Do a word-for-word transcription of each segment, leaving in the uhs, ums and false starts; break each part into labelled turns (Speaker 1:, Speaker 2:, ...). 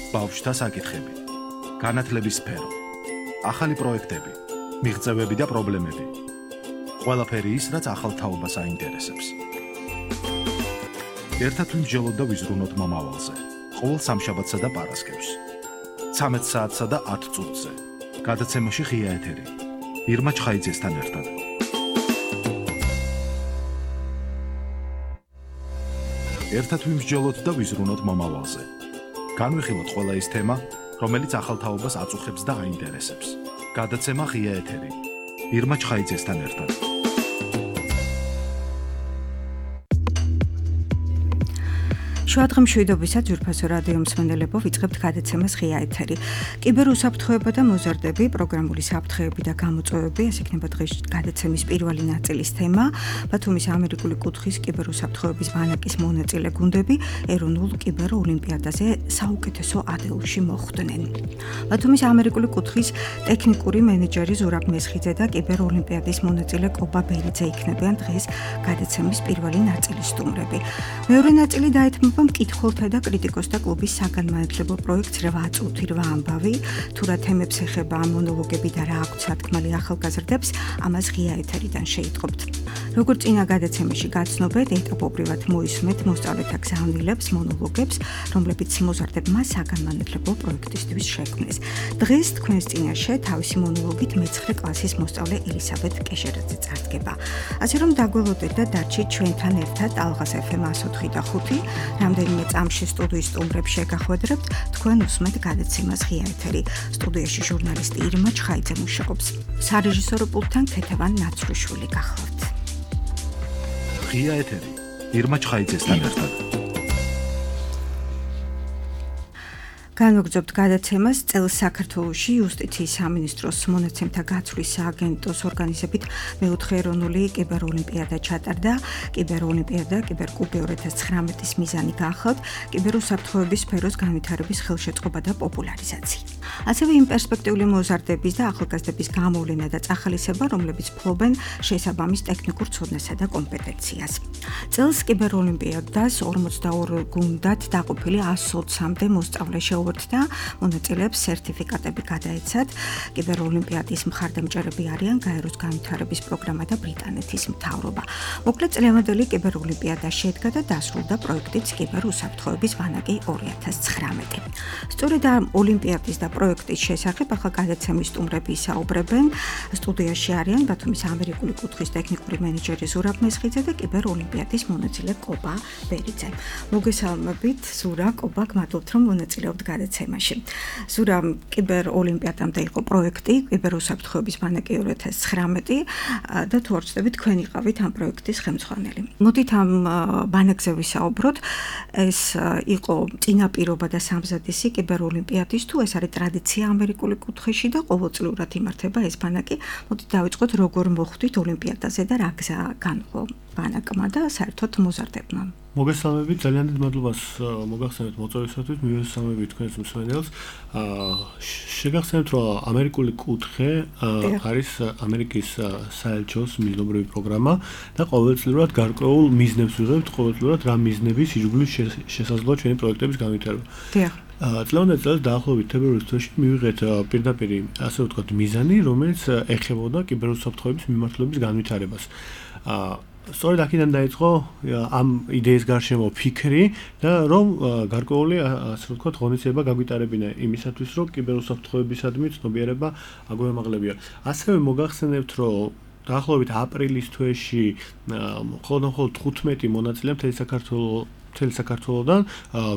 Speaker 1: ბავშვთა საკითხები, განათლების სფერო, ახალი პროექტები, მიღწევები და პრობლემები. ყველაფერი ის, რაც ახალ თაობას აინტერესებს. ერთად ვიმსჯელოთ და ვიზრუნოთ მომავალზე. ყოველ სამშაბათსა და პარასკევს. ცამეტ საათსა და ათ წუთზე. გადაცემაში ღია ეთერი. ირმა ჩხაიძესთან ერთად. ერთად ვიმსჯელოთ და ვიზრუნოთ მომავალზე. განვიხილოთ ყველა ის თემა, რომელიც ახალ თაობას აწუხებს და აინტერესებს. გადაცემა ღია ეთერი. ირმა ჩხაიძესთან ერთად.
Speaker 2: შუადღე მშვიდობისა ძვირფასო რადიო მსმენელებო, ვიწყებთ გადაცემას ღია ეთერი. კიბერუსაფრთხოება და მოზარდები, პროგრამული საფრთხეები და გამოწვევები, ეს იქნება დღეს გადაცემის პირველი ნაწილის თემა. ბათუმის ამერიკული კუთხის კიბერუსაფრთხოების ბანაკის მონაწილე გუნდები ეროვნულ კიბეროლიმპიადაზე საუკეთესო ათეულში მოხვდნენ. ბათუმის ამერიკული კუთხის ტექნიკური მენეჯერი ზურაბ მესხიძე და კიბეროლიმპიადის მონაწილე კობა ბერიძე იქნებიან დღეს გადაცემის პირველი ნაწილის სტუმრები. მეორე ნაწილი დაეთმობა მკითხველთა და კრიტიკოსთა კლუბის საგანმანათლებლო პროექტს რვა წუთი რვა ამბავი, თუ რა თემებს ეხება ამ მონოლოგები და რა აქვთ სათქმელი ახალგაზრდებს, ამას ღია ეთერიდან შეიტყობთ. როგორც წინა გადაცემაში გაცნობეთ, ეტაპობრივად მოისმენთ მოსწავლეთა გზავნილებს, მონოლოგებს, რომლებიც მოზარდებმა საგანმანათლებლო პროექტისთვის შექმნეს. დღეს თქვენს წინაშე თავისი მონოლოგით მეცხრე კლასის მოსწავლე ელისაბედ კეშერაძე წარდგება. ასე რომ დაგველოდეთ და დარჩით ჩვენთან ერთად ალღას ეფ ემ εκατო ოთხი და ხუთი. რამდენიმე წამში სტუდიის სტუმრებს შეგახვედრებთ, თქვენ უსმენთ გადაცემას ღია ეთერი. სტუდიაში ჟურნალისტი ირმა ჩხაიძე მუშაობს. სარეჟისორო პულტთან ქეთევან ნაცრუშვილი გახლავთ.
Speaker 1: ღია ეთერი. ირმა ჩხაიძესთან ერთად.
Speaker 2: განვაგრძობთ გადაცემას წელს საქართველოში იუსტიციის სამინისტროს მონაცემთა გაცვლის სააგენტოს ორგანიზებით მეოთხე ეროვნული კიბეროლიმპიადა ჩატარდა. კიბეროლიმპიადა კიბერკუბი ორი ათას ცხრამეტის მიზანი გახლავთ კიბერუსაფრთხოების სფეროს განვითარების ხელშეწყობა და პოპულარიზაცია. ასევე იმ პერსპექტიული მოზარდების და ახალგაზრდების გამოვლენა და წახალისება, რომლებიც ფლობენ შესაბამის ტექნიკურ ცოდნასა და კომპეტენციას. წელს კიბეროლიმპიადას ორმოცდაორ გუნდად დაყოფილი ასი ოცამდე მოსწავლე და მონაწილეებს სერტიფიკატები გადაეცათ. კიბეროლიმპიადის მხარდამჭერები არიან გაეროს განვითარების პროგრამა და ბრიტანეთის მთავრობა. მოკლედ წლევანდელი კიბეროლიმპიადა შედგა და დასრულდა პროექტიც კიბერუსაფრთხოების ბანაკი ორი ათას ცხრამეტი. სწორედ ამ ოლიმპიადის და პროექტის შესახებ ახლა გადაცემის სტუმრები ისაუბრებენ. სტუდიაში არიან ბათუმის ამერიკული კუთხის ტექნიკური მენეჯერი ზურაბ მესხიძე და კიბეროლიმპიადის მონაწილე კობა ბერიძე. მოგესალმებით, ზურა, კობა, გმადლობთ რომ მონაწილეობთ გადაცემაში. ზურა, კიბეროლიმპიადამდე იყო პროექტი კიბერუსაფრთხოების ბანაკი ორი ათას ცხრამეტი და თუ არ ვცდები, თქვენ იყავით ამ პროექტის ხელმძღვანელი. მოდით ამ ბანაკზე ვისაუბროთ. ეს იყო წინაპირობა და სამზადისი კიბეროლიმპიადის, თუ ეს არის ტრადიცია ამერიკული კუთხეში და ყოველწლიურად იმართება ეს ბანაკი. მოდით დავიწყოთ, როგორ მოხვდით ოლიმპიადაზე და რა გზა განვლო ბანაკმა და საერთოდ მოზარდებმა.
Speaker 3: მოგესალმებით, ძალიან დიდ მადლობას მოგახსენებთ მოწვევისათვის, მივესალმებით თქვენს მსმენელს. შეგახსენებთ, რომ ამერიკული კუთხე არის ამერიკის საელჩოს მიზნობრივი პროგრამა და ყოველწლიურად გარკვეულ მიზნებს ვიღებთ, ყოველწლიურად რა მიზნების ირგვლივ შესაძლოა ჩვენი პროექტების განვითარება.
Speaker 2: დიახ.
Speaker 3: წლევანდელ წელს დაახლოებით თებერვლის თვეში მივიღეთ პირდაპირ ასე ვთქვათ მიზანი, რომელიც ეხებოდა კიბერუსაფრთხოების მიმართულების განვითარებას. სწორედ აქედან დაიწყო ამ იდეის გარშემო ფიქრი და რომ გარკვეული ასე ვთქვათ ღონისძიება გაგვიტარებინა იმისათვის, რომ კიბერუსაფრთხოებისადმი ცნობიერება აგვემაღლებია. ასევე მოგახსენებთ, რომ დაახლოებით აპრილის თვეში მხოლოდ თხუთმეტი მონაწილე მთელი საქართველოს მთელი საქართველოდან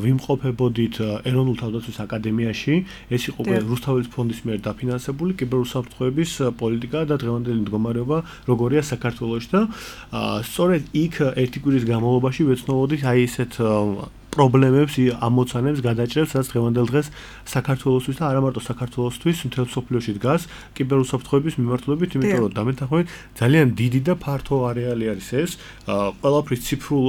Speaker 3: ვიმყოფებოდით ეროვნულ თავდაცვის აკადემიაში. ეს იყო რუსთაველის ფონდის მიერ დაფინანსებული კიბერუსაფრთხოების პოლიტიკა და დღევანდელი მდგომარეობა როგორია საქართველოში და სწორედ იქ ერთი კვირის განმავლობაში ვეცნობოდით აი ესეთ პრობლემებს, ამოცანებს, გადაჭრებს, რაც დღევანდელ დღეს საქართველოსთვის და არა მარტო საქართველოსთვის, მთელ მსოფლიოში დგას კიბერუსაფრთხოების მიმართულებით, იმიტომ რომ დამეთანხმებით ძალიან დიდი და ფართო არეალი არის ეს. ყველაფრის ციფრულ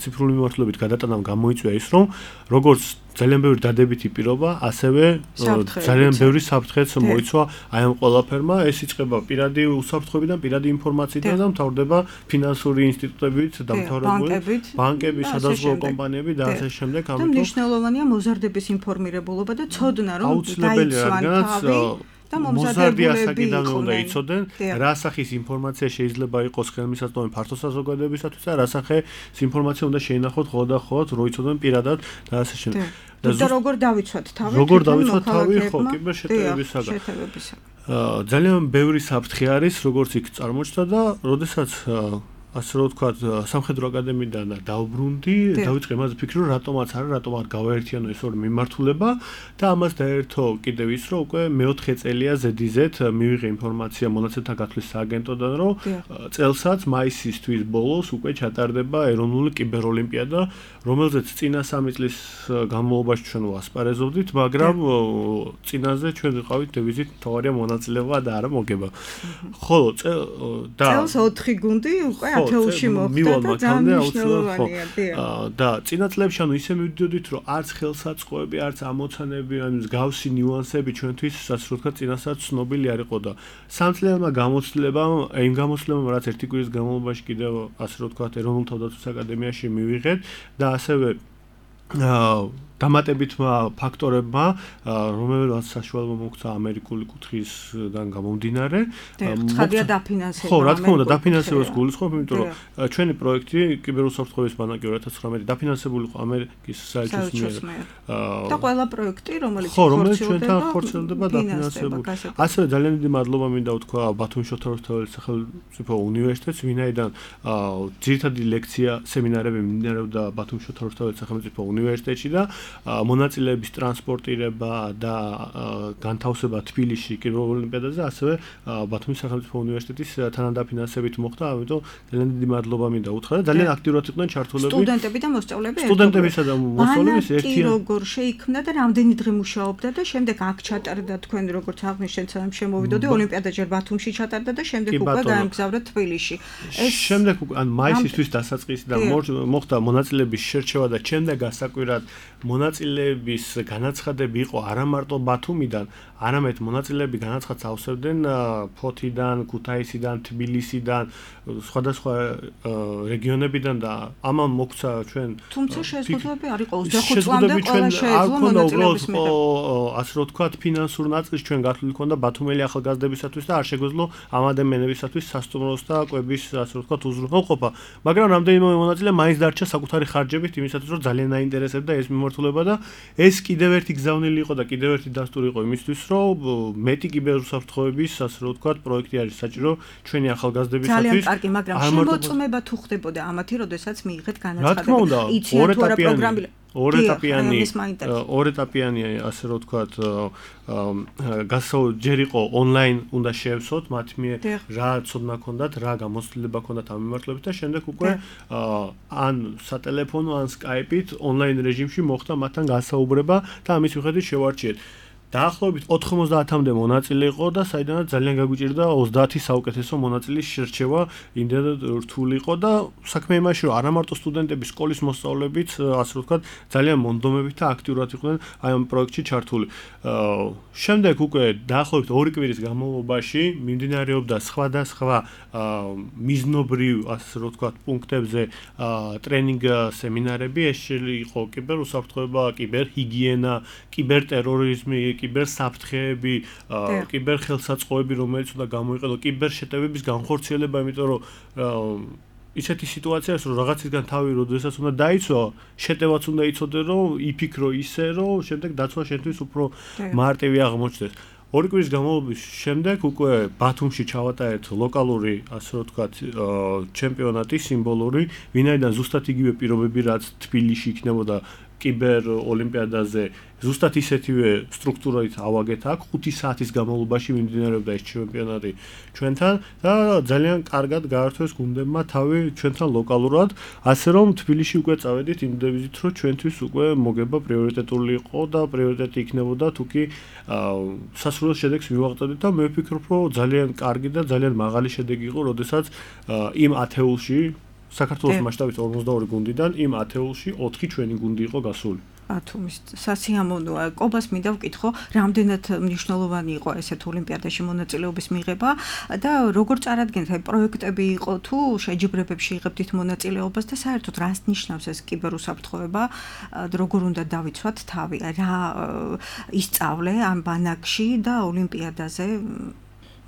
Speaker 3: ციფრული მიმართულებით გადატანამ გამოიწვია ის, რომ როგორც ძალიან ბევრი დადებითი პირობა, ასევე ძალიან ბევრი საფრთხეც მოიცვა აი ამ ყველაფერმა. ეს იწყება პირადი უსაფრთხოებიდან, პირადი ინფორმაციიდან და მთავრდება ფინანსური ინსტიტუტებით, დამთავრებული ბანკები, სადაზღვევო კომპანიები და ასე შემდეგ.
Speaker 2: ამიტომ მნიშვნელოვანია მოზარდების ინფორმირებულობა და ცოდნა, რომ დაიცვან თავი და
Speaker 3: მომზადებულები უნდა იცოდნენ, რა სახის ინფორმაცია შეიძლება იყოს ხელმისაწვდომი ფართო საზოგადოებისათვის და რა სახის ინფორმაცია უნდა შეინახოთ ხოლმე და ხოლმე, რო იცოდნენ პირადად და ასე შემდეგ.
Speaker 2: და როგორ დავიცვათ თავი?
Speaker 3: როგორ დავიცვათ თავი ხო კიბერშეტევებისაგან? ძალიან ბევრი საფრთხე არის, როგორც იქ წარმოჩნდა და როდესაც ასე რომ ვთქვათ, სამხედრო აკადემიიდან დავბრუნდი, დავიწყე იმაზე ფიქრი, რომ რატომაც არა, რატომ არ გავაერთიანო ეს ორი მიმართულება და ამას დაერთო კიდევ ის, რომ უკვე მეოთხე წელია ზედიზედ მივიღე ინფორმაცია მონაცემთა გათვლის სააგენტოდან, რომ წელსაც მაისის თვის ბოლოს უკვე ჩატარდება ეროვნული კიბეროლიმპიადა, რომელზეც წინა სამი წლის განმავლობაში ჩვენ ვასპარეზობდით, მაგრამ წინაზე ჩვენ ვიყავით დევიზით მთავარია მონაწილეობა და არა მოგება. ხოლო და
Speaker 2: წელს ოთხი გუნდი უკვე ათეულში მოხდა და ძალიან მნიშვნელოვანია,
Speaker 3: და წინა წლებში ანუ ისე მივიდოდით, რომ არც ხელსაწყოები, არც ამოცანები, ანუ მსგავსი ნიუანსები ჩვენთვის ასე რომ ვთქვათ, წინასაც ცნობილი არ იყო და სამწლიანმა გამოცდილებამ, იმ გამოცდილებამ, რაც ერთი კვირის განმავლობაში კიდევ ასე რომ ვთქვათ, ეროვნულ თავდაცვის აკადემიაში მივიღეთ და ასევე დამატებითმა ფაქტორებმა, რომელსაც საშუალება მოგცა ამერიკული კუთხისგან გამომდინარე.
Speaker 2: ცხადია დაფინანსება.
Speaker 3: ხო, რა თქმა უნდა, დაფინანსებას გულისხმობ, იმიტომ რომ ჩვენი პროექტი კიბერუსაფრთხოების ბანაკი ორი ათას ცხრამეტი დაფინანსებული იყო ამერიკის საელჩოს მიერ.
Speaker 2: და ყველა პროექტი, რომელიც
Speaker 3: ხო, რომელიც ჩვენთან ხორციელდება დაფინანსებული. ასევე ძალიან დიდი მადლობა მინდა ვთქვა ბათუმის შოთა რუსთაველის სახელმწიფო უნივერსიტეტს, ვინაიდან ძირითადი ლექცია, სემინარები მიმდინარეობდა ბათუმის შოთა რუსთაველის სახელმწიფო უნივერსიტეტში და მონაწილეების ტრანსპორტირება და განთავსება თბილისში კიბეროლიმპიადაზე ასევე ბათუმის სახელმწიფო უნივერსიტეტის თანადაფინანსებით მოხდა, ამიტომ ძალიან დიდი მადლობა მინდა უთხრა და ძალიან აქტიურად იყვნენ ჩართულები
Speaker 2: სტუდენტები და მოსწავლეები.
Speaker 3: სტუდენტებისა და მოსწავლეების
Speaker 2: ერთი როგორ შეიქმნა და რამდენი დღე მუშაობდა და შემდეგ აქ ჩატარდა თქვენ როგორც აღნიშნეთ, სამ შემოვიდოდი ოლიმპიადა ჯერ ბათუმში ჩატარდა და შემდეგ უკვე გაემგზავრა თბილისში.
Speaker 3: ეს შემდეგ ანუ მაისისთვის დასაწყისიდან მოხდა მონაწილეების შერჩევა და შემდეგ გასაკვირად მონაწილეების განაცხადები იყო არა მარტო ბათუმიდან, არამედ მონაწილეები განაცხადს ავსებდნენ ფოთიდან, ქუთაისიდან, თბილისიდან, სხვადასხვა რეგიონებიდან და ამან მოგცა ჩვენ
Speaker 2: თუმცა შეზღუდვები არ იყო ოცდახუთ წლამდე ყველა შეეძლო მონაწილეების მიღება.
Speaker 3: ასე რომ ვთქვათ, ფინანსურ ნაწილს ჩვენ გათვლილი ქონდა ბათუმელი ახალგაზრდებისათვის და არ შეგვეძლო ამ ადამიანებისათვის სასტუმროს და კვების ასე რომ ვთქვათ უზრუნველყოფა, მაგრამ რამდენიმე მონაწილე მაინც დარჩა საკუთარი ხარჯებით იმისათვის, რომ ძალიან აინტერესებდა ეს მიმართულება და ეს კიდევ ერთი გზავნილი იყო და კიდევ ერთი დასტური იყო იმისთვის, რომ მეტი კიბერუსაფრთხოების ასე რომ ვთქვათ, პროექტი არის საჭირო ჩვენი ახალგაზრდებისათვის.
Speaker 2: ძალიან კარგი, მაგრამ შემოწმება თუ ხდებოდა ამათი, როდესაც მიიღეთ განაცხადები. იციან თუ არა პროგრამები
Speaker 3: ორეტაპიანი ორეტაპიანი ასე რომ ვთქვათ, გასაო ჯერ იყო ონლაინ უნდა შევსოთ მათ მიერ რა ცოდნა ქონდათ, რა გამოცდილება ქონდათ ამ მიმართულებით და შემდეგ უკვე ან სატელეფონო ან სკაიპით ონლაინ რეჟიმში მოხდა მათთან გასაუბრება და ამის მიხედვით შევარჩიეთ. დაახლოებით ოთხმოცდაათამდე მონაწილე იყო და საიდანაც ძალიან გაგვიჭირდა ოცდაათი საუკეთესო მონაწილის შერჩევა, იმდენად რთული იყო და საქმე იმაში, რომ არა მარტო სტუდენტები, სკოლის მოსწავლეებიც, ასე რომ ვთქვათ, ძალიან მონდომებით და აქტიურად იყვნენ აი ამ პროექტში ჩართული. შემდეგ უკვე დაახლოებით ორი კვირის განმავლობაში მიმდინარეობდა სხვადასხვა მიზნობრივ, ასე რომ ვთქვათ, პუნქტებზე ტრენინგ სემინარები, ეს იყო კიბერუსაფრთხოება, კიბერჰიგიენა, კიბერტერორიზმი, კიბერსაფრთხეები, კიბერხელსაწყოები, რომელიც უნდა გამოიყენო, კიბერშეტევების განხორციელება, იმიტომ რომ ისეთი სიტუაციაა, რომ რაღაცისგან თავი როდესაც უნდა დაიცვა, შეტევაც უნდა იცოდე, რომ იფიქრო ისე, რომ შემდეგ დაცვა შენთვის უფრო მარტივი აღმოჩნდეს. ორი კვირის განმავლობის შემდეგ უკვე ბათუმში ჩავატარეთ ლოკალური, ასე რომ ვთქვათ, ჩემპიონატი სიმბოლური, ვინაიდან ზუსტად იგივე პირობები, რაც თბილისში იქნებოდა კიბერ ოლიმპიადაზე, ზუსტად ისეთივე სტრუქტურით ავაგეთ აქ, ხუთი საათის განმავლობაში მიმდინარეობდა ეს ჩემპიონატი ჩვენთან და ძალიან კარგად გაართვეს გუნდებმა თავი ჩვენთან ლოკალურად, ასე რომ თბილისში უკვე წავედით იმ დევიზით, რომ ჩვენთვის უკვე მოგება პრიორიტეტული იყო და პრიორიტეტი იქნებოდა თუკი სასურველ შედეგს მივაღწევდით და მე ვფიქრობ, რომ ძალიან კარგი და ძალიან მაღალი შედეგი იყო, როდესაც იმ ათეულში საქართველოს მასშტაბით ორმოცდაორი გუნდიდან იმ ათეულში ოთხი ჩვენი გუნდი იყო გასული.
Speaker 2: ბათუმის სასიამოვნოა. კობას მინდა ვკითხო, რამდენად მნიშვნელოვანი იყო ესეთ ოლიმპიადაში მონაწილეობის მიღება და როგორ წარადგენთ აი პროექტები იყო თუ შეჯიბრებებში იღებდით მონაწილეობას და საერთოდ რას ნიშნავს ეს კიბერუსაფრთხოება, როგორ უნდა დავიცვათ თავი, რა ისწავლე ამ ბანაკში და ოლიმპიადაზე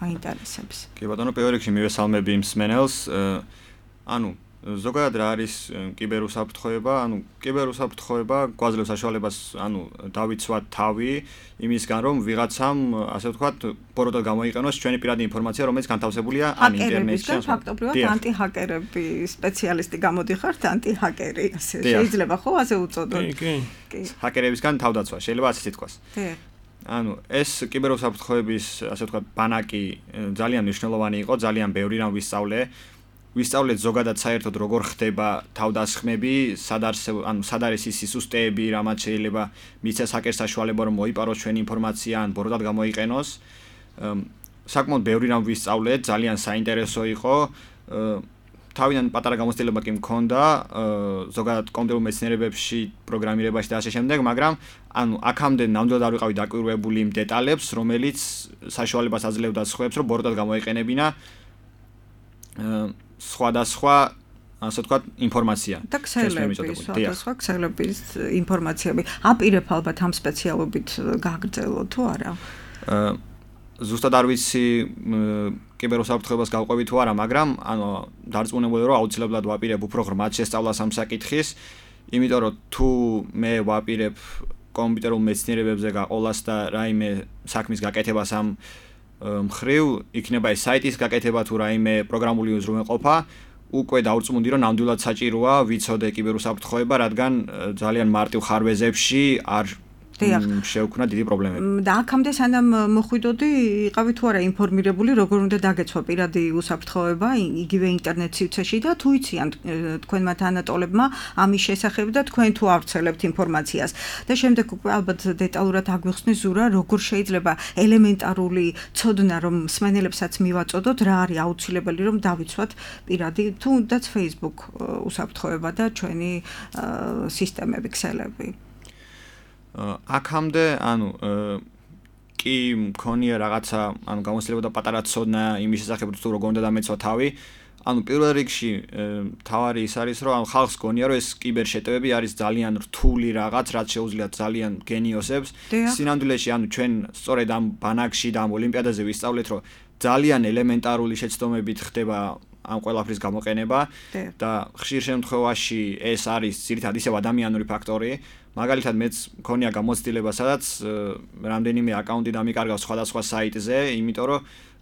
Speaker 2: მაინტერესებს.
Speaker 4: კი ბატონო, პირველ რიგში მივესალმები იმ მსმენელს, ანუ ზოგადად რა არის კიბერუსაფრთხოება? ანუ კიბერუსაფრთხოება გვაძლევს საშუალებას, ანუ დავიცვათ თავი იმისგან, რომ ვიღაცამ, ასე ვთქვათ, ბოროტად გამოიყენოს ჩვენი პირადი ინფორმაცია, რომელიც განთავსებულია ან ინტერნეტში.
Speaker 2: ფაქტობრივად ანტიჰაკერები სპეციალისტი გამოდიხართ, ანტიჰაკერი, ასე შეიძლება ხო ასე უწოდოთ?
Speaker 3: კი,
Speaker 2: კი.
Speaker 4: ჰაკერებისგან თავდაცვა, შეიძლება ასე ითქვას.
Speaker 2: კი.
Speaker 4: ანუ ეს კიბერუსაფრთხოების, ასე ვთქვათ, ბანაკი ძალიან მნიშვნელოვანი იყო, ძალიან ბევრი რამ ვისწავლე. ვისწავლეთ ზოგადად საერთოდ როგორ ხდება თავდასხმები, სად არსებობს, ანუ სად არის ის სისტემები, რამაც შეიძლება მიცეს ჰაკერს საშუალება რომ მოიპაროს ჩვენი ინფორმაცია ან ბოროტად გამოიყენოს. საკმაოდ ბევრი რამ ვისწავლეთ, ძალიან საინტერესო იყო. თავიდან პატარა გამოცდილება კი მქონდა, ზოგადად კომპიუტერულ მეცნიერებებში, პროგრამირებაში და ასე შემდეგ, მაგრამ ანუ აქამდე ნამდვილად არ ვიყავი დაკვირვებული იმ დეტალებს, რომელიც საშუალებას აძლევდა სხვებს, რომ ბოროტად გამოიყენებინა სხვადასხვა, ასე ვთქვათ, ინფორმაცია.
Speaker 2: და ქსელების, სხვადასხვა ქსელების ინფორმაციები. აპირებ ალბათ ამ სპეციალობით გაგრძელო თუ არა?
Speaker 4: ზუსტად არ ვიცი კიბერუსაფრთხოებას გავყვები თუ არა, მაგრამ ანუ დარწმუნებული რომ აუცილებლად ვაპირებ უფრო ღრმად შესწავლას ამ საკითხის, იმიტომ რომ თუ მე ვაპირებ კომპიუტერულ მეცნიერებებზე გაყოლას და რაიმე საქმის გაკეთებას ამ მხრივ, იქნება ეს საიტის გაკეთება თუ რაიმე პროგრამული უზრუნველყოფა, უკვე დავრწმუნდი რომ ნამდვილად საჭიროა ვიცოდე კიბერუსაფრთხოება, რადგან ძალიან მარტივ ხარვეზებში არ შეუქმნა დიდი პრობლემები.
Speaker 2: და აქამდე სანამ მოხვიდოდი, იყავი თუ არა ინფორმირებული, როგორ უნდა დაგეცვა პირადი უსაფრთხოება იგივე ინტერნეტ სივრცეში და თუ იციან თქვენმა თანატოლებმა ამის შესახებ და თქვენ თუ ავრცელებთ ინფორმაციას. და შემდეგ უკვე ალბათ დეტალურად აგვიხსნი ზურა, როგორ შეიძლება ელემენტარული ცოდნა, რომ მსმენელებსაც მივაწოდოთ, რა არის აუცილებელი, რომ დავიცვათ პირადი თუნდაც Facebook უსაფრთხოება და ჩვენი სისტემები, ქსელები.
Speaker 4: აქამდე, ანუ კი მქონია რაღაცა, ანუ გამოცდილება და პატარა ცოდნა იმის შესახებ, თუ როგორ უნდა დამეცვა თავი. ანუ პირველ რიგში თავარი ის არის, რომ ანუ ხალხს გონია, რომ ეს კიბერშეტევები არის ძალიან რთული რაღაც, რაც შეუძლია ძალიან გენიოსებს. სინამდვილეში, ანუ ჩვენ სწორედ ამ ბანაკში და ამ ოლიმპიადაზე ვისწავლეთ, რომ ძალიან ელემენტარული შეცდომებით ხდება ამ ყველაფრის გამოყენება და ხშირ შემთხვევაში ეს არის ძირითადად ისევ ადამიანური ფაქტორი. მაგალითად მეც მქონია გამოცდილება, სადაც რამდენიმე აკაუნტი დამიკარგავს სხვადასხვა საიტზე, იმიტომ რომ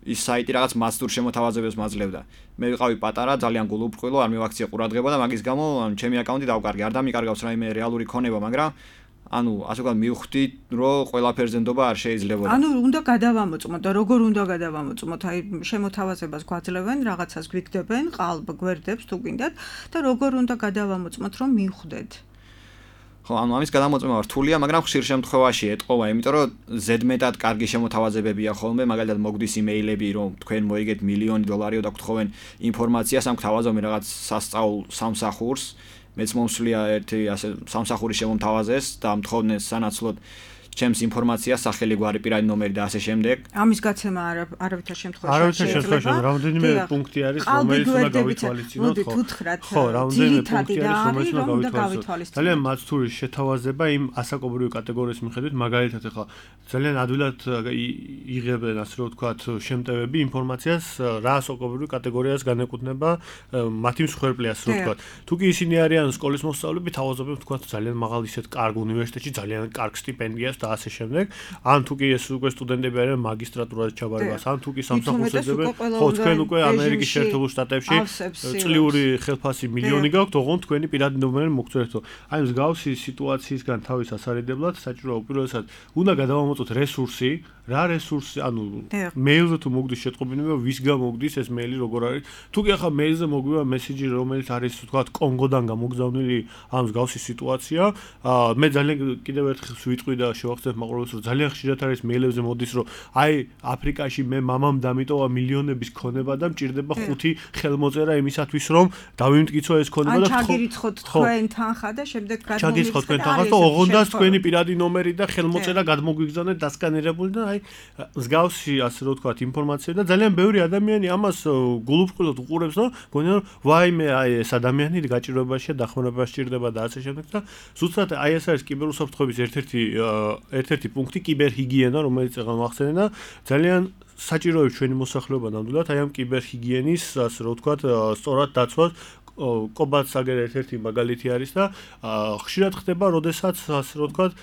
Speaker 4: ის საიტი რაღაც მასტურ შემოთავაზებებს მაძლევდა. მე ვიყავი პატარა, ძალიან გულუბრყვილო, არ მივაქციე ყურადღება და მაგის გამო ანუ ჩემი აკაუნტი დავკარგე, არ დამიკარგავს რაიმე რეალური ქონება, მაგრამ ანუ ასე ვთქვათ მივხვდი, რომ ყველაფერზე ნდობა არ შეიძლება.
Speaker 2: ანუ უნდა გადავამოწმოთ და როგორ უნდა გადავამოწმოთ? აი შემოთავაზებას გვაძლევენ, რაღაცას გვიგდებენ, ყალბ გვერდებს თუ გინდათ და როგორ უნდა გადავამოწმოთ, რომ მივხვდეთ?
Speaker 4: ხო, ანუ ამის გადამოწმება რთულია, მაგრამ ხშირ შემთხვევაში ეტყობა, იმიტომ რომ ზედმეტად კარგი შემოთავაზებებია ხოლმე, მაგალითად მოგდის იმეილები, რომ თქვენ მოიგეთ მილიონი დოლარიო და გთხოვენ ინფორმაციას, ამ გთავაზობენ რაღაც სასწაულ სამსახურს, მეც მომსვლია ერთი ასე სამსახური შემომთავაზეს და მთხოვდნენ სანაცვლოდ ჩემს ინფორმაციას, სახელი, გვარი, პირადი ნომერი და ასე შემდეგ.
Speaker 2: ამის გაცემა არავითარ შემთხვევაში
Speaker 3: არავითარ შემთხვევაში რამდენიმე პუნქტი არის, რომელიც უნდა გავითვალისწინოთ, ხო? ხო, რამდენიმე პუნქტი არის, რომელიც უნდა გავითვალისწინოთ. ძალიან მაცდური შეთავაზება იმ ასაკობრივი კატეგორიის მიხედვით, მაგალითად ახლა ძალიან ადვილად იღებენ, ასე რომ ვთქვათ, შემტევები ინფორმაციას, რა ასაკობრივი კატეგორიას განეკუთვნება მათი მსხვერპლი, ასე რომ ვთქვათ. თუ კი ისინი არიან სკოლის მოსწავლეები, თავაზობენ, ვთქვათ, ძალიან მაღალ ისეთ კარგ უნივერსიტეტში, ძალიან კარგ სტიპენდიას და ასე შემდეგ. ან თუ კი ეს უკვე სტუდენტები არიან მაგისტრატურაზე ჩაბარებას, ან თუ კი სამსახურს ეძებენ, ხო, თქვენ უკვე ამერიკის შეერთებულ შტატებში წლიური ხელფასი მილიონი გაქვთ, ოღონდ თქვენი პირადი ნომერი მოგწვევთ. აი მსგავსი სიტუაციისგან თავის ასარიდებლად საჭიროა უპირველესად უნდა გადავამოწმოთ რესურსი, რა რესურსი, ანუ მეილზე თუ მოგდის შეტყობინება, ვის გამოგდის ეს მეილი, როგორ არის. თუ კი ახლა მეილზე მოგვივა მესიჯი, რომელიც არის თქვათ კონგოდან გამოგზავნილი ამ მსგავსი სიტუაცია, მე ძალიან კიდევ ერთხელ ვიტყვი და შევახსენებ მაყურებელს, რომ ძალიან ხშირად არის მეილებზე მოდის, რომ აი აფრიკაში მე მამამ დამიტოვა მილიონების ქონება და მჭირდება ხუთი ხელმოწერა იმისათვის, რომ დავიმტკიცო ეს ქონება და
Speaker 2: ჩაგირიცხოთ თქვენ თანხა და შემდეგ გადმოგიხსნათ.
Speaker 3: ჩაგირიცხოთ თქვენ თანხა და ოღონდ თქვენი პირადი ნომერი და ხელმოწერა გადმოგვიგზავნეთ დასკანერებული და აი მსგავსი ასე რომ ვთქვათ ინფორმაცია და ძალიან ბევრი ადამიანი ამას გულუბრყვილოდ უყურებს, რომ გონია რომ ვაიმე აი ეს ადამიანი გაჭირვებაშია, დახმარებაში ჭირდება და ასე შემდეგ და ზუსტად აი ეს არის კიბერუსაფრთხოების ერთ-ერთი ერთ-ერთი პუნქტი კიბერჰიგიენა, რომელიც ახლა მახსენე და ძალიან საჭიროებს ჩვენი მოსახლეობა ნამდვილად აი ამ კიბერჰიგიენის ასე რომ ვთქვათ სწორად დაცვას კობაც აგერ ერთ-ერთი მაგალითი არის და ხშირად ხდება, როდესაც ასე რომ ვთქვათ,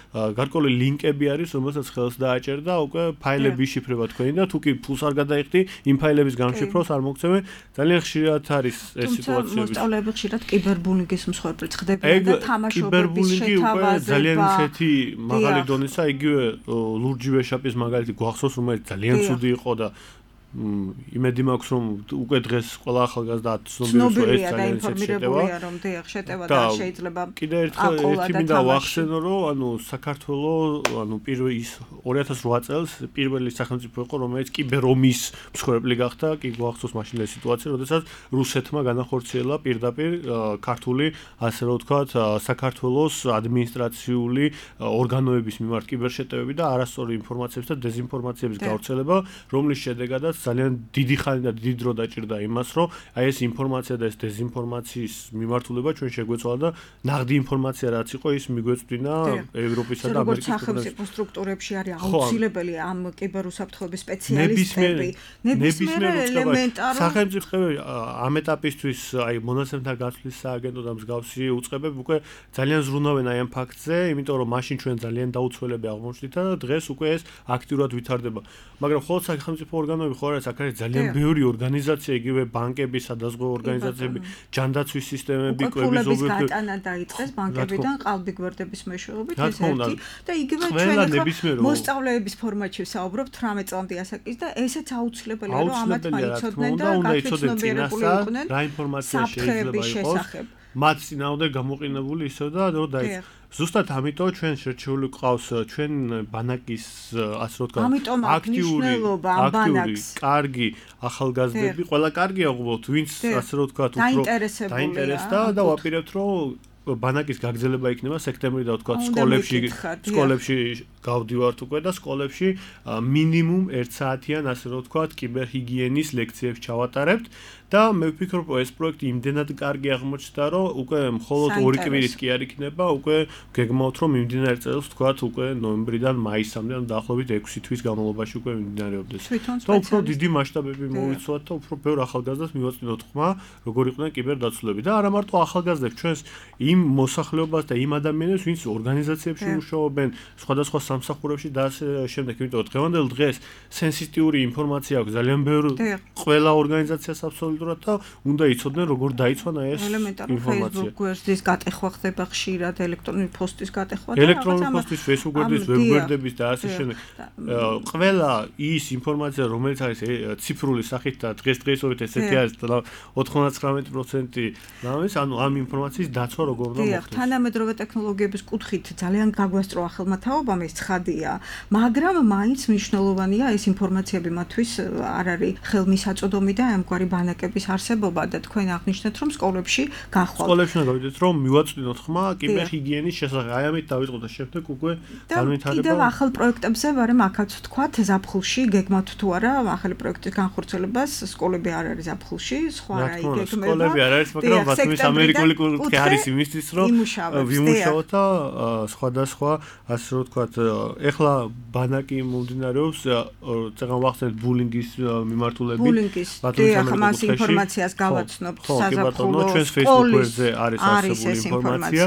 Speaker 3: გარკვეული ლინკები არის, რომელსაც ხელს დააჭერ და უკვე ფაილები იშიფრება თქვენი და თუ კი ფულს არ გადაიხდი, იმ ფაილების გამშიფრვას არ მოგცემენ. ძალიან ხშირად არის ეს სიტუაციები.
Speaker 2: მოსწავლეები ხშირად კიბერბულინგის მსხვერპლად ხდებიან და თამაშობების შეთავაზება.
Speaker 3: ძალიან ისეთი მაღალი დონისა, იგივე ლურჯი ვეშაპის მაგალითი გვახსოვს, რომელიც ძალიან ცუდი იყო და იმედი მაქვს რომ უკვე დღეს ყველა ახალგაზრდა ცნობილია რომ ეს ძალიან
Speaker 2: ინფორმირებულია რომ დიახ შეტევა და შეიძლება
Speaker 3: კიდე ერთხელ ერთი მინდა ვახსენო რომ ანუ საქართველოს ანუ პირველ ის ორი ათას ოთხ წელს პირველი სახელმწიფო იყო რომელიც კიბერომის მსხვერპლი გახდა კი გვახსოვს მაშინ ეს სიტუაცია როდესაც რუსეთმა განახორციელა პირდაპირ ქართული ასე რომ ვთქვათ საქართველოს ადმინისტრაციული ორგანოების მიმართ კიბერშეტევები და არასწორი ინფორმაციების და დეზინფორმაციების გავრცელება რომლის შედეგადაც ძალიან დიდი ხანი და დიდი დრო დაჭირდა იმას, რომ აი ეს ინფორმაცია და ეს დეზინფორმაციის მიმართულება ჩვენ შეგვეცვალა და ნაღდი ინფორმაცია რაც იყო, ის მიგვეწვდინა ევროპისა და ამერიკის
Speaker 2: სახელმწიფო სტრუქტურებში არის აუცილებელი ამ კიბერუსაფრთხოების სპეციალისტები. ნებისმიერ ელემენტარო
Speaker 3: სახელმწიფოები ამ ეტაპისთვის აი მონაცემთა გაცვლის სააგენტო და მსგავსი უწყებები უკვე ძალიან ზრუნავენ აი ამ ფაქტზე, იმიტომ რომ მაშინ ჩვენ ძალიან დაუცველები აღმოჩნდით და დღეს უკვე ეს აქტიურად ვითარდება. მაგრამ ხოლმე სახელმწიფო ორგანოები ხო არის აქ არის ძალიან ბევრი ორგანიზაცია, იგივე ბანკები, სადაზღვევო ორგანიზაციები, ჯანდაცვის სისტემები, კვების
Speaker 2: ობიექტები გატანა დაიწყეს ბანკებიდან ყალბი გვერდების მეშვეობით ეს ერთი და იგივე ჩვენ ახლა მოსწავლეების ფორმატში ვსაუბრობთ თვრამეტ წლამდე ასაკის და ესეც აუცილებელია რომ ამათ მაიცოდნენ და გათვითცნობიერებული იყვნენ
Speaker 3: რა ინფორმაცია შეიძლება იყოს მათ წინააღმდეგ გამოყენებული ისევ და რომ დაიწყო ზუსტად ამიტომ ჩვენ შერჩეული ყავს ჩვენ ბანაკის ასე რომ ვთქვათ
Speaker 2: აქტიური
Speaker 3: აქტიური კარგი ახალგაზრდები ყველა კარგია უბრალოდ ვინც ასე რომ ვთქვათ უფრო დაინტერესდა და ვაპირებთ რომ ბანაკის გაგრძელება იქნება სექტემბრი და ვთქვათ სკოლებში სკოლებში გავდივართ უკვე და სკოლებში მინიმუმ ერთ საათიან ასე რომ ვთქვათ კიბერჰიგიენის ლექციებს ჩავატარებთ და მე ვფიქრობ ეს პროექტი იმდენად კარგი აღმოჩნდა რომ უკვე მხოლოდ ორი კვირის კი არ იქნება უკვე გეგმავთ რომ მიმდინარე წელს ვთქვათ უკვე ნოემბრიდან მაისამდე ან დაახლოებით ექვსი თვის განმავლობაში უკვე მიმდინარეობდეს და უფრო დიდი მასშტაბები მოვიცვათ და უფრო ბევრ ახალგაზრდას მივაწვდინოთ ხმა როგორ იყვნენ კიბერდაცვლები და არა მარტო ახალგაზრდებს ჩვენს იმ მოსახლეობას და იმ ადამიანებს ვინც ორგანიზაციებში მუშაობენ სხვადასხვა სამსახურებში და ასე შემდეგ იმიტომ რომ დღევანდელ დღეს სენსიტიური ინფორმაცია აქვს ძალიან ბევრი ყველა ორგანიზაციას აბსოლუტურად და უნდა იცოდნენ როგორ დაიცვან ეს ინფორმაცია.
Speaker 2: Facebook გვერდის გატეხვა ხდება ხშირად, ელექტრონული პოსტის გატეხვა და
Speaker 3: ელექტრონული პოსტის, Facebook გვერდის, web გვერდების და ასე შემდეგ. ყველა ის ინფორმაცია, რომელიც არის ციფრული სახით და დღესდღეობით ესეთი არის ოცდათხმეტ პროცენტი რამის, ანუ ამ ინფორმაციის დაცვა როგორ უნდა მოხდეს.
Speaker 2: თანამედროვე ტექნოლოგიების კუთხით ძალიან გაგვასწრო ახალმა თაობამ ეს ცხადია, მაგრამ მაინც მნიშვნელოვანია ეს ინფორმაციები მათთვის არ არის ხელმისაწვდომი და ამგვარი ბანაკების არსებობა და თქვენ აღნიშნეთ რომ სკოლებში გახვალ.
Speaker 3: სკოლებში გავიდეთ რომ მივაწვდინოთ ხმა კიბერჰიგიენის შესახებ. აი ამით დავიწყოთ და შემდეგ უკვე განვითარება.
Speaker 2: კიდევ ახალ პროექტებზე ვარემ აქაც ვთქვათ ზაფხულში გეგმავთ თუ არა ახალი პროექტის განხორციელებას სკოლები არ არის ზაფხულში, სხვა რა იგეგმება.
Speaker 3: სკოლები არ არის, მაგრამ ბათუმის ამერიკული კუთხე არის იმისთვის რომ ვიმუშაოთ და სხვადასხვა ასე რომ ვთქვათ ეხლა ბანაკი მომდინარეობს წეგან ვახსენეთ ბულინგის მიმართულებით
Speaker 2: ბათუმის ამას ინფორმაციას გავაცნობთ საზაფხულო
Speaker 3: ჩვენს Facebook გვერდზე არის არსებული ინფორმაცია.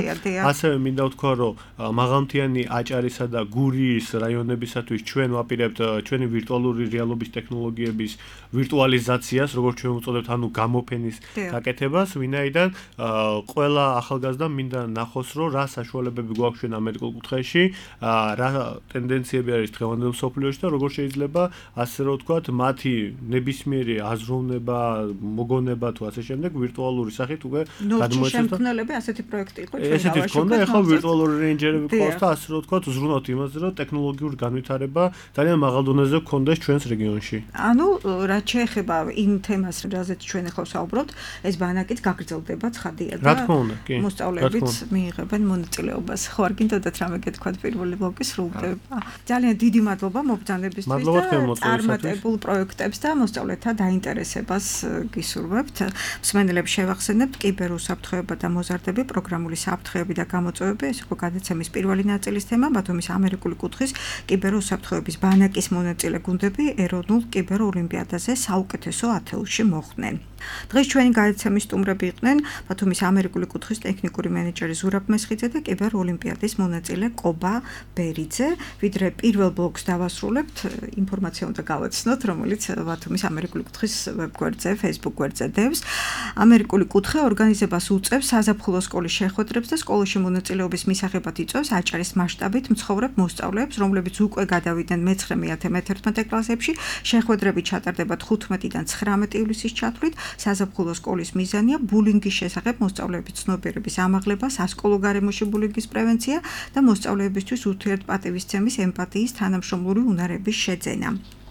Speaker 3: ასევე მინდა ვთქვა რომ მაღალმთიანი აჭარისა და გურიის რაიონებისათვის ჩვენ ვაპირებთ ჩვენი ვირტუალური რეალობის ტექნოლოგიების ვირტუალიზაციას, როგორც ჩვენ ვუწოდებთ, ანუ გამოფენის გაკეთებას, ვინაიდან ყველა ახალგაზრდა მინდა ნახოს რომ რა საშუალებები გვაქვს ჩვენ ამერიკულ კუთხეში, რა რა ტენდენციები არის დღევანდელ მსოფლიოში და როგორ შეიძლება ასე რომ ვთქვათ, მათი ნებისმიერი აზროვნება, მოგონება თუ ასე შემდეგ ვირტუალური სახით უკვე
Speaker 2: გადმოეცეს. შემქმნელები ასეთი პროექტი იყო ჩვენ
Speaker 3: ესეთი ქონდა, ეხლა ვირტუალური რეინჯერები ყავს და ასე რომ ვთქვათ, უზრუნავთ იმაზე, რომ ტექნოლოგიური განვითარება ძალიან მაღალ დონეზე გქონდეს ჩვენს რეგიონში.
Speaker 2: ანუ რაც შეეხება იმ თემას, რაზეც ჩვენ ახლა ვსაუბრობთ, ეს ბანაკიც გაგრძელდება ცხადია და მოსწავლეებიც მიიღებენ მონაწილეობას. ხო, არ გინდოდათ რამე გეთქვათ პირველი ბლოკი სრულდება. ძალიან დიდი მადლობა მობრძანებისთვის და წარმატებულ პროექტებს და მოსწავლეთა დაინტერესებას გისურვებთ. მსმენელებს შევახსენებთ კიბერუსაფრთხოება და მოზარდები, პროგრამული საფრთხეები და გამოწვევები. ეს იყო გადაცემის პირველი ნაწილის თემა. ბათუმის ამერიკული კუთხის კიბერუსაფრთხოების ბანაკის მონაწილე გუნდები ეროვნულ კიბეროლიმპიადაზე საუკეთესო ათეულში მოხვდნენ. დღეს ჩვენი გადაცემის სტუმრები იყვნენ ბათუმის ამერიკული კუთხის ტექნიკური მენეჯერი ზურაბ მესხიძე და კიბეროლიმპიადის მონაწილე კობა ბერიძე. ვიდრე პირველ ბლოკს დავასრულებთ, ინფორმაცია უნდა გავაცნოთ, რომელიც ბათუმის ამერიკული კუთხის ვებგვერდზე, Facebook გვერდზე დევს. ამერიკული კუთხე ორგანიზებას უწევს საზაფხულო სკოლის შეხვედრებს და სკოლაში მონაწილეობის მისაღებად იწვევს აჭარის მასშტაბით მცხოვრებ მოსწავლეებს, რომლებიც უკვე გადავიდნენ მეცხრე, მეათე, მეთერთმეტე კლასებში. შეხვედრები ჩატარდება თხუთმეტიდან ცხრამეტი ივლისის ჩათვლით. საზაფხულო სკოლის მიზანია ბულინგის შესახებ მოსწავლეების ცნობიერების ამაღლება, სასკოლო გარემოში ბულინგის პრევენცია და მოსწავლეებისთვის ურთიერთპატივისცემის, ემპათიის, თანამშრომლური უნარების შეძენა.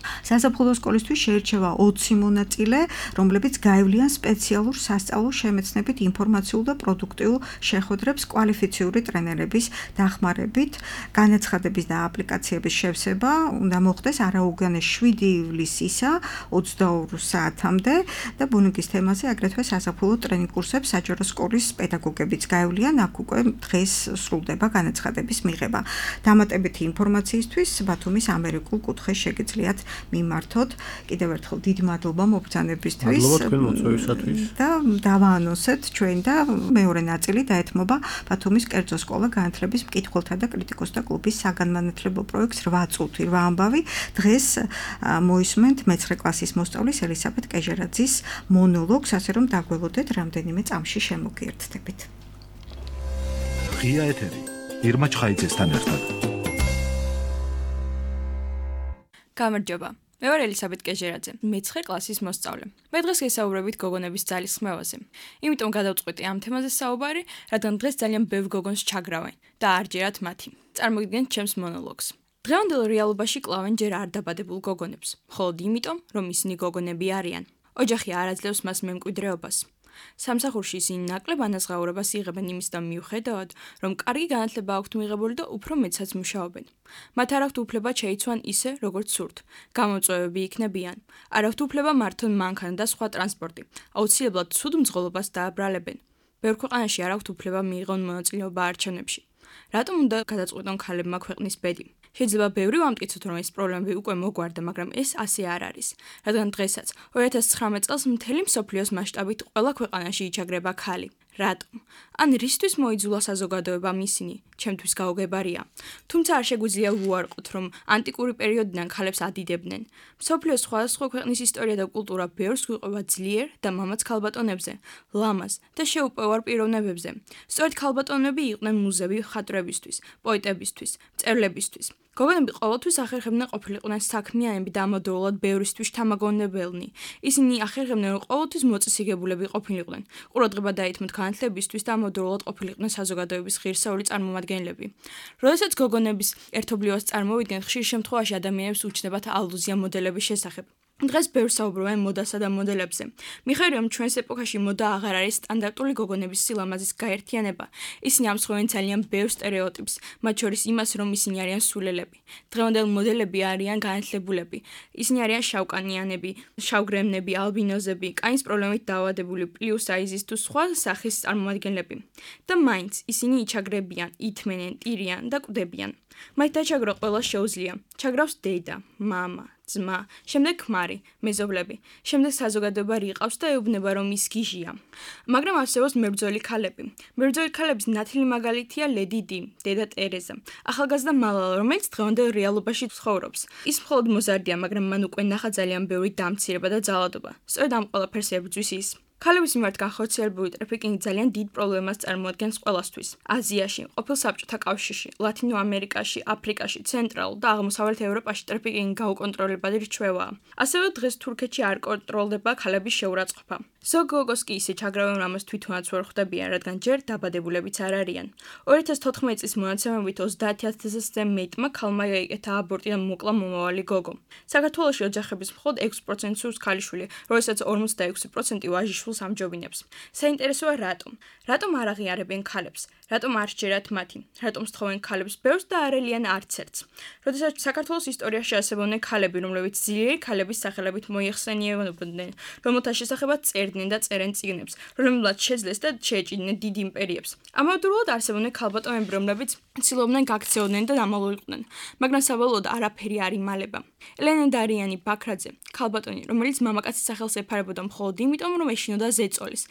Speaker 2: საზაფხულო სკოლისთვის შეირჩევა ოცი მონაწილე, რომლებიც გაივლიან სპეციალურ სასწავლო შემეცნებით ინფორმაციულ და პროდუქტიულ შეხვედრებს კვალიფიციური ტრენერების დახმარებით. განაცხადების და აპლიკაციების შევსება უნდა მოხდეს არაუგანეს შვიდი ივლისისა ოცდაორ საათამდე და ბულინგის თემაზე აგრეთვე საზაფხულო ტრენინგ კურსებს საჯარო სკოლის პედაგოგებიც გაივლიან. აქ უკვე დღეს სრულდება განაცხადების მიღება. დამატებითი ინფორმაციისთვის ბათუმის ამერიკულ კუთხეს შეგიძლიათ მიმართოთ. კიდევ ერთხელ დიდი მადლობა მობრძანებისთვის.
Speaker 3: მადლობა თქვენ მოწვევისათვის.
Speaker 2: და დავაანონსეთ ჩვენ და მეორე ნაწილი დაეთმობა ბათუმის კერძო სკოლა განათლების მკითხველთა და კრიტიკოსთა კლუბის საგანმანათლებლო პროექტს რვა წუთი რვა ამბავი. დღეს მოისმენთ მეცხრე კლასის მოსწავლის ელისაბედ კეჟერაძის მონოლოგს, ასე რომ დაგველოდეთ რამდენიმე წამში შემოგიერთდებით.
Speaker 1: ღია ეთერი ირმა ჩხაიძესთან ერთად.
Speaker 5: გამარჯობა. მე ვარ ელისაბედ კეჟერაძე, მეცხრე კლასის მოსწავლე. მე დღეს გესაუბრებით გოგონების ძალის ხმევაზე. იმიტომ გადავწყვეტი ამ თემაზე საუბარი, რადგან დღეს ძალიან ბევრ გოგონს ჩაგრავენ და არ ჯერათ მათი. წარმოგიდგენთ ჩემს მონოლოგს. დღევანდელ რეალობაში კლავენ ჯერ არ დაბადებულ გოგონებს, მხოლოდ იმიტომ, რომ ისინი გოგონები არიან. ოჯახი არ აძლევს მას მემკვიდრეობას. სამსახურში ისინი ნაკლებ ანაზღაურებას იღებენ იმისთან მიუხედავად, რომ კარგი განათლება აქვთ მიღებული და უფრო მეცაც მუშაობენ. მათ არ აქვთ უფლება შეიცვან ისე, როგორც სურთ. გამოწვევები იქნებიან. არ აქვთ უფლება მართონ მანქანა და სხვა ტრანსპორტი. აუცილებლად ცუდ მძღოლობას დააბრალებენ. ბევრ ქვეყანაში არ აქვთ უფლება მიიღონ მონაწილეობა არჩევნებში. რატომ უნდა გადაწყვეტონ ქალებმა ქვეყნის ბედი? შეიძლება ბევრი ვამტკიცოთ, რომ ეს პრობლემები უკვე მოგვარდა, მაგრამ ეს ასე არ არის. რადგან დღესაც ორი ათას ცხრამეტ წელს მთელი მსოფლიოს მასშტაბით ყველა ქვეყანაში იჩაგრება ქალი. რატომ? ან რისთვის მოიძულა საზოგადოებამ ისინი? ჩემთვის გაუგებარია. თუმცა არ შეგვიძლია ვუარყოთ, რომ ანტიკური პერიოდიდან ქალებს ადიდებდნენ. მსოფლიოს სხვადასხვა ქვეყნის ისტორია და კულტურა ბევრს გვიყვება ძლიერ და მამაც ქალბატონებზე, ლამაზ და შეუპოვარ პიროვნებებზე. სწორედ ქალბატონები იყვნენ მუზები მხატვრებისთვის, პოეტებისთვის, მწერლებისთვის. გოგონები ყოველთვის ახერხებდნენ ყოფილიყვნენ საქმიანები და ამავდროულად ბევრისთვის თამაგონებელნი. ისინი ახერხებდნენ, რომ ყოველთვის მოწესრიგებულები ყოფილიყვნენ. ყურადღება დაეთმოთ განათლებისთვის და ამავდროულად ყოფილიყვნენ საზოგადოების ღირსეული წარმომადგენლები. როდესაც გოგონების ერთობლივას წარმოვიდგენ, ხშირ შემთხვევაში ადამიანებს უჩნდებათ ალუზია მოდელების შესახებ. დღეს ბევრს საუბრობენ მოდასა და მოდელებზე. მიხარია, რომ ჩვენს ეპოქაში მოდა აღარ არის სტანდარტული გოგონების სილამაზის გაერთიანება. ისინი ამსხვევენ ძალიან ბევრ სტერეოტიპს, მათ შორის იმას, რომ ისინი არიან სულელები. დღევანდელ მოდელები არიან განათლებულები. ისინი არიან შავკანიანები, შავგრემნები, ალბინოზები, კანის პრობლემით დაავადებული, პლუს საიზის თუ სხვა სახის წარმომადგენლები. და მაინც ისინი იჩაგრებიან, ითმენენ, ტირიან და კვდებიან. მათ დაჩაგრო ყველა შეუძლია. ჩაგრავს დედა, მამა, ძმა, შემდეგ ქმარი, მეზობლები, შემდეგ საზოგადოება რიყავს და ეუბნება, რომ ის გიჟია. მაგრამ არსებობს მებრძოლი ქალები. მებრძოლი ქალების ნათელი მაგალითია ლედი დი, დედა ტერეზა, ახალგაზრდა მალალა, რომელიც დღევანდელ რეალობაში ცხოვრობს. ის მხოლოდ მოზარდია, მაგრამ მან უკვე ნახა ძალიან ბევრი დამცირება და ძალადობა. სწორედ ამ ყველაფერს ებრძვის ის. ქალების მიმართ განხორციელებული ტრაფიკინგი ძალიან დიდ პრობლემას წარმოადგენს ყველასთვის. აზიაში, ყოფილ საბჭოთა კავშირში, ლათინო ამერიკაში, აფრიკაში, ცენტრალურ და აღმოსავლეთ ევროპაში ტრაფიკინგი გაუკონტროლებადი რჩევაა. ასევე დღეს თურქეთში არ კონტროლდება ქალების შეურაცხყოფა. ზოგ გოგოს კი ისე ჩაგრავენ, ამას თვითონაც ვერ ხვდებიან, რადგან ჯერ დაბადებულებიც არ არიან. ორი ათას თოთხმეტი წლის მონაცემებით ოცდაათი ათასზე მეტმა ქალმა გაიკეთა აბორტი და მოკლა მომავალი გოგო. საქართველოში ოჯახების მხოლოდ ექვსი პროცენტი სურს ქალიშვილი, როდესაც ორმოცდაექვსი პროცენტი ვაჟიშვილს ამჯობინებს. საინტერესოა რატომ? რატომ არ აღიარებენ ქალებს? რატომ არ სჯერათ მათი? რატომ სთხოვენ ქალებს ბევრს და არ ელიან არც ერთს? როდესაც საქართველოს ისტორიაში არსებობდნენ ქალები, რომლებიც ძლიერი ქალების სახელებით მოიხსენიებოდნენ, რომელთა შესახებაც წერდნენ და წერენ წიგნებს, რომლებმაც შეძლეს და შეეჭიდნენ დიდ იმპერიებს. ამავდროულად არსებობდნენ ქალბატონები, რომლებიც ცდილობდნენ გაქცეოდნენ და დამალულყვნენ, მაგრამ საბოლოოდ არაფერი არ იმალება. ელენე ბაქრაძე, ქალბატონი, რომელიც მამაკაცის სახელს ეფარებოდა მხოლოდ იმიტომ, რომ ეშინოდა ზეწოლის,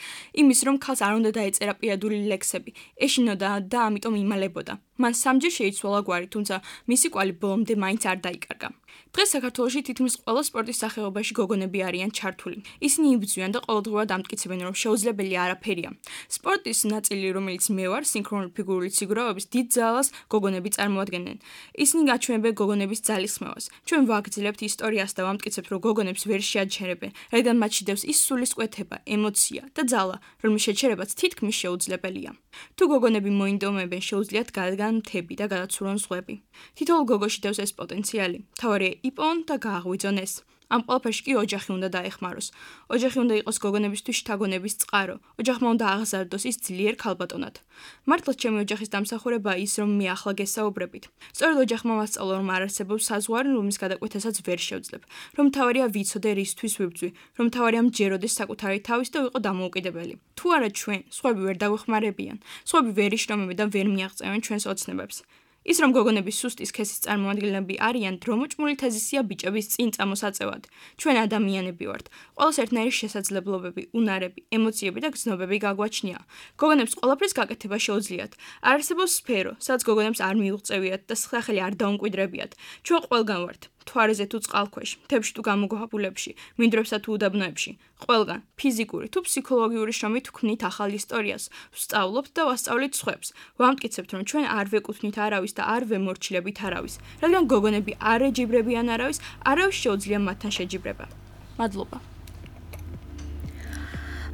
Speaker 5: იმის რომ ქალს არ უნდა დაეწერა პირადული ლექსები, ეშინოდა და ამიტომ იმალებოდა. მან სამჯერ შეიცვალა გვარი, თუმცა მისი კვალი ბოლომდე მაინც არ დაიკარგა. დღეს საქართველოში თითქმის ყველა სპორტის სახეობაში გოგონები არიან ჩართული. ისინი იბრძვიან და ყოველდღურად ამტკიცებენ, რომ შეუძლებელი არაფერია. სპორტის ნაწილი, რომელიც მე ვარ, სინქრონული ფიგურული სიგურავების დიდ ძალას გოგონები წარმოადგენენ. ისინი გაჩვენებენ გოგონების ძალისხმევას. ჩვენ ვაგრძელებთ ისტორიას და ვამტკიცებთ, რომ გოგონებს ვერ შეაჩერებენ, რადგან მათ შედევს ის სულისკვეთება, ემოცია და ძალა, რომლის შეჩერებაც თითქმის შეუძლებელია. თუ გოგონები მოინდომებენ, შეუძლიათ გადადგან მთები და გადაცურონ ზღვები. თითოეულ გოგოში დევს ეს პოტენციალი. მთავარია იპოვონ და გააღვიძონ ეს. ამ ყველაფერში კი ოჯახი უნდა დაეხმაროს. ოჯახი უნდა იყოს გოგონებისთვის შთაგონების წყარო. ოჯახმა უნდა აღზარდოს ის ძლიერ ქალბატონად. მართლაც ჩემი ოჯახის დამსახურებაა ის, რომ მე ახლა გესაუბრებით. სწორედ ოჯახმა მასწავლა, რომ არ არსებობს საზღვარი, რომლის გადაკვეთასაც ვერ შევძლებ. რომ მთავარია ვიცოდე რისთვის ვიბრძვი, რომ მთავარია მჯეროდეს საკუთარი თავის და ვიყო დამოუკიდებელი. თუ არა ჩვენ, სხვები ვერ დაგვეხმარებიან, სხვები ვერ იშრომებენ და ვერ მიაღწევენ ჩვენს ოცნებებს. ის რომ გოგონები სუსტი სქესის წარმოადგენლები არიან, დრომოჭმული თეზისია ბიჭების წინ წამოსაწევად. ჩვენ ადამიანები ვართ. ყველას ერთნაირი შესაძლებლობები, უნარები, ემოციები და გრძნობები გაგვაჩნია. გოგონებს ყველაფრის გაკეთება შეუძლიათ. არ არსებობს სფერო, სადაც გოგონებს არ მიუღწევიათ და სახელი არ დაუმკვიდრებიათ. ჩვენ ყველგან ვართ. თვარეზე თუ წყალქვეშ, მთებში თუ გამოგაბულებში, მინდვრებსა თუ უდაბნოებში, ყველგან, ფიზიკური თუ ფსიქოლოგიური შრომით ვქმნით ახალ ისტორიას, ვსწავლობთ და ვასწავლით სხვებს. ვამტკიცებთ, რომ ჩვენ არ ვეკუთვნით არავის და არ ვემორჩილებით არავის, რადგან გოგონები არ ეჯიბრებიან არავის, არავის შეუძლია მათთან შეჯიბრება. მადლობა.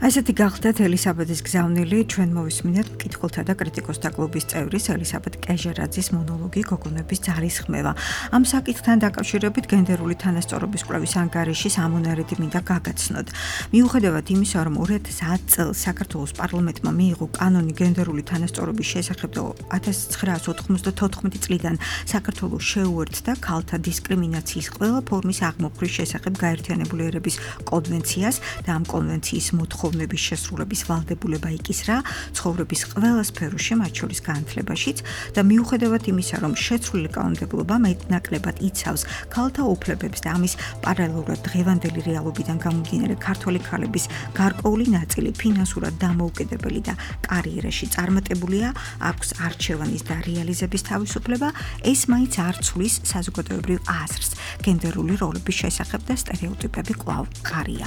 Speaker 2: ასეთი გახლდათ ელისაბედის გზავნილი, ჩვენ მოვისმინეთ მკითხველთა და კრიტიკოსთა კლუბის წევრის ელისაბედ კეჟერაძის მონოლოგი გოგონების ძალისხმევა. ამ საკითხთან დაკავშირებით გენდერული თანასწორობის კვლევის ანგარიში სამონარიდი მინდა გაგაცნოთ. მიუხედავად იმისა, რომ ორი ათას ათი წელს საქართველოს პარლამენტმა მიიღო კანონი გენდერული თანასწორობის შესახებ და ათას ცხრაასი ოთხმოცდათოთხმეტი წლიდან საქართველოს შეუერთდა ქალთა დისკრიმინაციის ყველა ფორმის აღმოფხრის შესახებ გაერთიანებული ერების კონვენციას და ამ კონვენციის მოთხოვნების შესრულების ვალდებულება იკისრა ცხოვრების ყველა სფეროში, მათ შორის განათლებაშიც და მიუხედავად იმისა, რომ შეცვლილი კანონმდებლობა მეტნაკლებად იცავს ქალთა უფლებებს და ამის პარალელურად დღევანდელი რეალობიდან გამომდინარე ქართველი ქალების გარკვეული ნაწილი ფინანსურად დამოუკიდებელი და კარიერაში წარმატებულია, აქვს არჩევანის და რეალიზების თავისუფლება, ეს მაინც არ ცვლის საზოგადოებრივ აზრს. გენდერული როლების შესახებ და სტერეოტიპები კვლავ მყარია.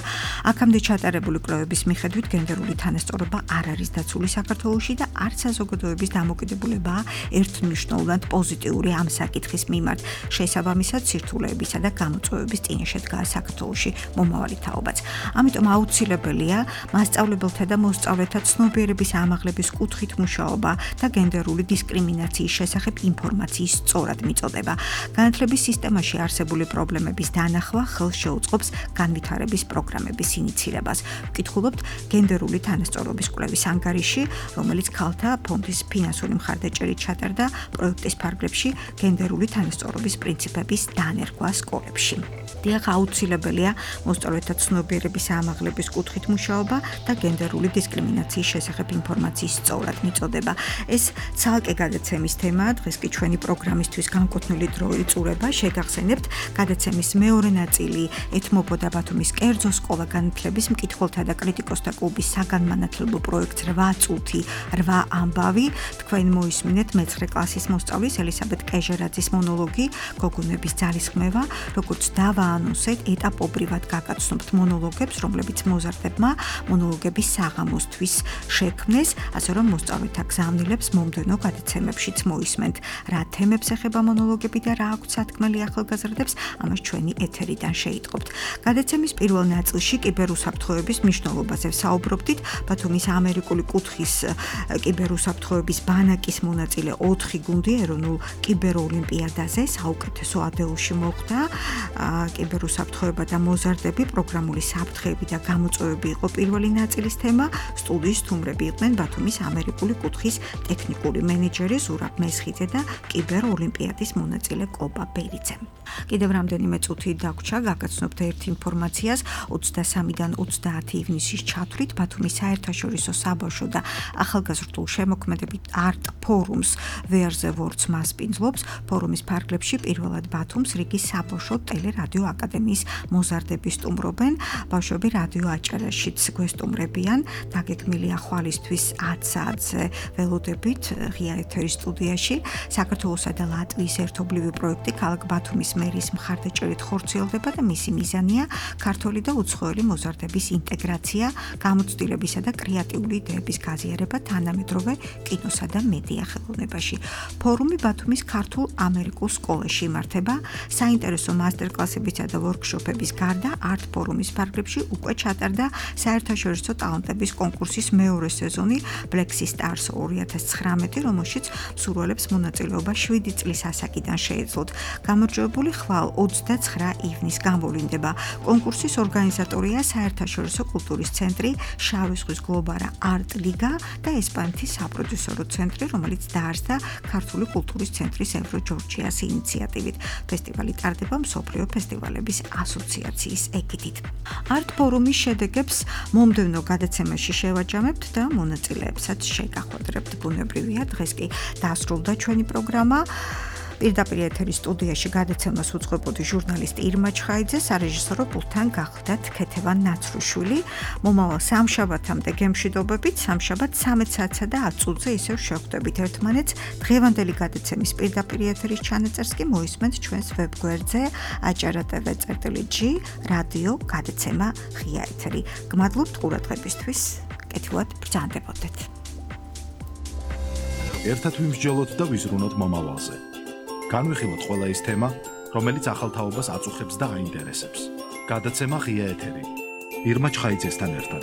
Speaker 2: აქამდე ჩატარებული კვლევების მიხედვით გენდერული თანასწორობა არ არის დაცული საქართველოში და არც საზოგადოების დამოკიდებულებაა ერთმნიშვნელოვნად პოზიტიური ამ საკითხის მიმართ. შესაბამისად, სირთულეებისა და გამოწვევების წინაშე დგას საქართველოში მომავალი თაობაც. ამიტომ აუცილებელია მასწავლებელთა და მოსწავლეთა ცნობიერების ამაღლების კუთხით მუშაობა და გენდერული დისკრიმინაციის შესახებ ინფორმაციის სწორად მიწოდება. განათლების სისტემაში არსებული პრობლემების დანახვა ხელს შეუწყობს განვითარების პროგრამების ინიცირებას. ვკითხულობთ გენდერული თანასწორობის კვლევის ანგარიში, რომელიც ქალთა ფონდის ფინანსური მხარდაჭერით ჩატარდა პროექტის ფარგლებში გენდერული თანასწორობის პრინციპების დანერგვა სკოლებში. დიახ, აუცილებელია მოსწავლეთა ცნობიერების ამაღლების კუთხით მუშაობა და გენდერული დისკრიმინაციის შესახებ ინფორმაციის სწორად მიწოდება. ეს ცალკე გადაცემის თემაა, დღეს კი ჩვენი პროგრამისთვის განკუთვნილი დრო იწურება. შეგახსენებთ, გადაცემის მეორე ნაწილი ეთმობოდა ბათუმის კერძო სკოლა განათლების მკითხველთა და კრიტიკოსთა მუსიკოსთა კლუბის საგანმანათლებლო პროექტს რვა წუთი რვა ამბავი. თქვენ მოისმინეთ მეცხრე კლასის მოსწავლის ელისაბედ კეჟერაძის მონოლოგი გოგონების ძალისხმევა, როგორც დავაანონსეთ, ეტაპობრივად გაგაცნობთ მონოლოგებს, რომლებიც მოზარდებმა მონოლოგების საღამოსთვის შექმნეს, ასე რომ მოსწავლეთა გზავნილებს მომდევნო გადაცემებშიც მოისმენთ, რა თემებს ეხება მონოლოგები და რა აქვთ სათქმელი ახალგაზრდებს, ამას ჩვენი ეთერიდან შეიტყობთ. გადაცემის პირველ ნაწილში კიბერუსაფრთხოების მნიშვნელობაზე ვსაუბრობდით, ბათუმის ამერიკული კუთხის კიბერუსაფრთხოების ბანაკის მონაწილე ოთხი გუნდი ეროვნულ კიბეროლიმპიადაზე საუკეთესო ათეულში მოხვდა. კიბერუსაფრთხოება და მოზარდები, პროგრამული საფრთხეები და გამოწვევები იყო პირველი ნაწილის თემა. სტუდიის სტუმრები იყვნენ ბათუმის ამერიკული კუთხის ტექნიკური მენეჯერი ზურაბ მესხიძე და კიბეროლიმპიადის მონაწილე კობა ბერიძე. კიდევ რამდენიმე წუთი დაგვრჩა, გაგაცნობთ ერთ ინფორმაციას. ოცდასამიდან ოცდაათი ივნისის ჩათვლით ბათუმის საერთაშორისო საბავშვო და ახალგაზრდულ შემოქმედებით არტ ფორუმს Where the Words მასპინძლობს. ფორუმის ფარგლებში პირველად ბათუმს რიგის საბავშვო ტელერადიო აკადემიის მოზარდები სტუმრობენ. ბავშვები რადიო აჭარაშიც გვესტუმრებიან. დაგეგმილია ხვალისთვის ათ საათზე ველოდებით ღია ეთერის სტუდიაში. საქართველოსა და ლატვიის ერთობლივი პროექტი ქალაქ ბათუმის მერის მხარდაჭერით ხორციელდება და მისი მიზანია ქართული და უცხოელი მოზარდების ინტეგრაცია, გამოცდილებისა და კრეატიული იდეების გაზიარება თანამედროვე კინოსა და მედია ხელოვნებაში. ფორუმი ბათუმის ქართულ ამერიკულ სკოლაში იმართება. საინტერესო მასტერკლასებისა და ვორქშოპების გარდა არტ ფორუმის ფარგლებში უკვე ჩატარდა საერთაშორისო ტალანტების კონკურსის მეორე სეზონი Black Stars ორი ათას ცხრამეტი, რომელშიც მსურველებს მონაწილეობა შვიდი წლის ასაკიდან შეეძლოთ. გამარჯვებული ხვალ ოცდაცხრა ივნის გამოვლინდება. კონკურსის ორგანიზატორია საერთაშორისო კულტურის ცენტრი, შავი ზღვის გლობარა არტ ლიგა და ესპანეთის საპროდიუსერო ცენტრი, რომელიც დაარსდა ქართული კულტურის ცენტრის ევრო ჯორჯიას ინიციატივით. ფესტივალი ტარდება მსოფლიო ფესტივალების ასოციაციის ეგიდით. არტ ფორუმის შედეგებს მომდევნო გადაცემაში შევაჯამებთ და მონაწილეებსაც შეგახვედრებთ. ბუნებრივია, დღეს კი დასრულდა ჩვენი პროგრამა. პირდაპირ ეთერის სტუდიაში გადაცემას უძღვებოდი ჟურნალისტი ირმა ჩხაიძე, სარეჟისორო პულტთან გახლდათ ქეთევან ნაცრუშვილი. მომავალ სამშაბათამდე გემშვიდობებით, სამშაბათ ცამეტ საათსა და ათ წუთზე ისევ შევხვდებით ერთმანეთს. დღევანდელი გადაცემის პირდაპირ ეთერის ჩანაწერს კი მოისმენთ ჩვენს ვებგვერდზე აჭარა ტევ წერტილი ჯი რადიო გადაცემა ღია ეთერი. გმადლობთ ყურადღებისთვის. კეთილად ბრძანდებოდეთ.
Speaker 1: ერთად ვიმსჯელოთ და ვიზრუნოთ მომავალზე. განვიხილოთ ყველა ის თემა, რომელიც ახალ თაობას აწუხებს და აინტერესებს. გადაცემა ღია ეთერი. ირმა ჩხაიძესთან ერთად.